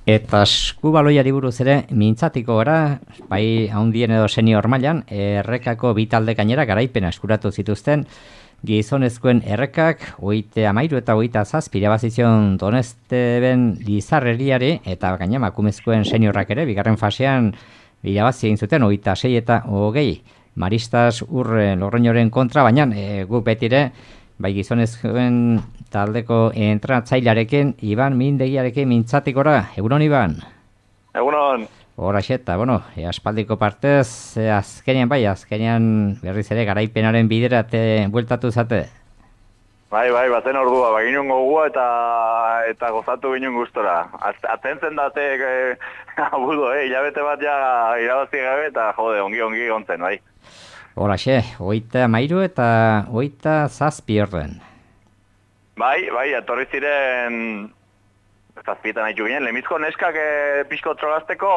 Eta eskubaloiari buruz ere mintzatiko gara, bai handien edo senior mailan, errekako bi talde gainera garaipena eskuratu zituzten, gizonezkoen errekak 33 eta 27 irabazizion Donesteben Lizarreriari eta gaina emakumezkoen seniorrak ere bigarren fasean irabazi egin zuten 26 eta 20 Maristas Urre Lorreñoren kontra, baina guk betire bai gizonezkoen taldeko entratzailearekin Iban Mindegiarekin mintzatikora. Egunon, Iban? Egunon. Horaxeta, aspaldiko partez, azkenean berriz ere garaipenaren bidera bueltatu zate. Bai, bazen ordua, baginun gogua eta gozatu ginen gustora. Atentzen date abudo, hilabete bat ja irabazi gabe eta jode, ongi gontzen, bai. Horaxe, 33 eta 27 orden. Bai, atorri ziren zazpietan haitu ginen, lemizko neskak pixko trolazteko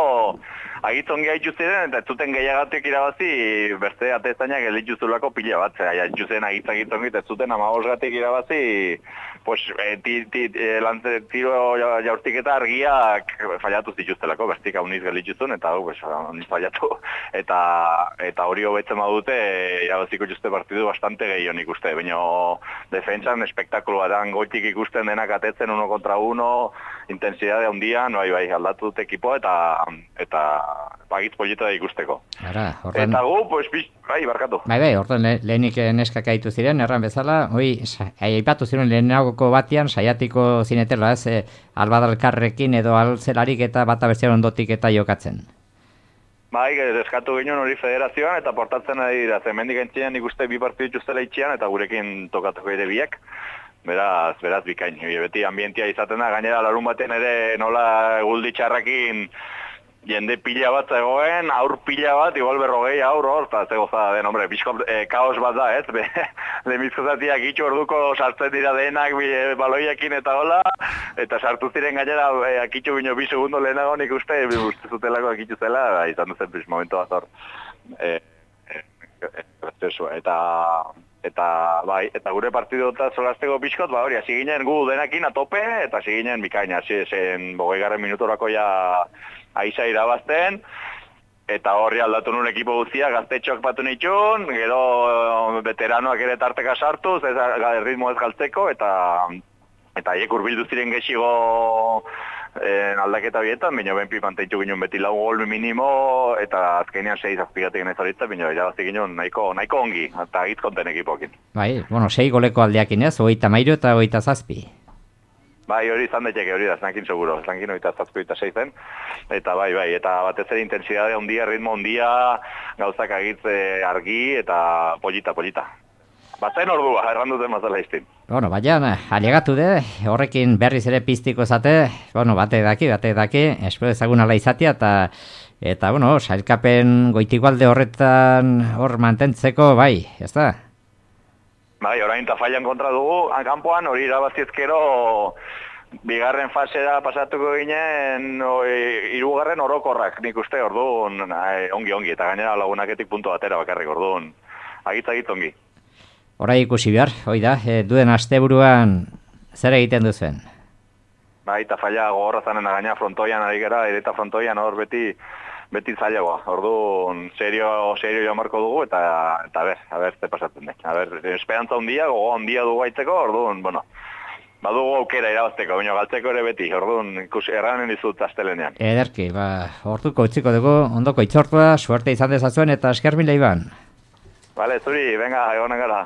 agitzongi haitu ziren, eta ez zuten gehiagatik irabazi, beste atezainak elituzulako pila bat, haitu zen agitzongi, eta ez zuten 15gatik irabazi, pues, tiro jaurtiketa argiak fallatu zituztelako, bestik hauniz gelituzun, eta hauniz fallatu, eta hori hobetzen badute, irabaziko juste partidu bastante gehiago ikuste, baina defentsan espektakulo bat, goitik ikusten denak atetzen 1 kontra 1, intensidade handian, bai, aldatu dut ekipoa eta bagitz polita da ikusteko. Eta gu, pues, bai, barkatu. Bai, orduan lehenik neskak aitu ziren, erran bezala, aipatu ziren lehenagoko batean, saiatiko zinetela, albadalkarrekin edo alzelarik eta bata bestian ondotik eta jokatzen. Bai, eskatu ginen hori federazioan eta portatzen ari dira, zemendik entzien ikuste bi partidu itxuztela itxian eta gurekin tokatuko ere biek. Beraz bikain, beti ambientia izaten da, gainera larun baten ere nola guldi txarrakin jende pila bat zegoen, aur pila bat, igual 40 aur hor, eta ze gozada den, hombre, pixko kaos bat da, ez? Lemizko zatiak itxu orduko sartzen dira denak baloiekin eta hola, eta sartu ziren gainera akitxu bino 2 segundo lehenago nik uste zutelako akitxu zela, izan duzen momentu bat hor. Eta gure partidu eta solasteko pixkot, hori, hasi ginen gu denakin atope, eta hasi ginen bikain, hasi zen 20 minutorako ja aiza irabazten, eta horri aldatu nun ekipo guztia, gaztetxoak batu nitxun, gero veteranoak ere tarteka sartuz, ritmo ez galtzeko, eta haiek urbildu ziren gehiago aldaketa bietan, baina benpi manteitu ginen beti 4 gol minimo, eta azkenean 6 azpigatik ez horitza, baina irabazi ginen nahiko ongi, eta agitkonten ekipokin. Bai, 6 goleko aldeakin ez, 33 eta 27. Bai, hori izan daiteke hori da, zankin seguro, zankin 27 eta 6 zen, eta bai, eta batez ere intensidade ondia, ritmo ondia, gauzak agitze argi, eta polita. Bazen ordua, erranduten mazala iztin. Baina, alegatu de, horrekin berriz ere piztiko zate, bate daki, espero ezagun ala izatea, eta sailkapen goitigualde horretan hor mantentzeko, bai, ez da? Bai, orain eta fallan kontra dugu, kanpoan hori irabaziezkero bigarren fasera pasatuko ginen 3. orokorrak, nik uste, orduan, ongi, eta gainera lagunaketik puntu batera bakarrik, orduan, agitz ongi. Horai ikusi behar, hoi da, duen asteburuan zer egiten duzuen? Bai, eta falla gogorra zanen gaina frontoian ari gara, eta frontoian hor beti zailagoa. Orduan, serio jamarko dugu, eta a ber, ze pasatzen den. Esperantza ondia, gogo ondia dugu aitzeko, orduan, badugu aukera irabazteko, baina galtzeko ere beti, orduan, erranen dizut astelenean. Ederki, orduko utziko dugu, ondoko itzortua, suerte izan dezazuen, eta esker mila Iban. Vale, zuri, venga, egonen gara.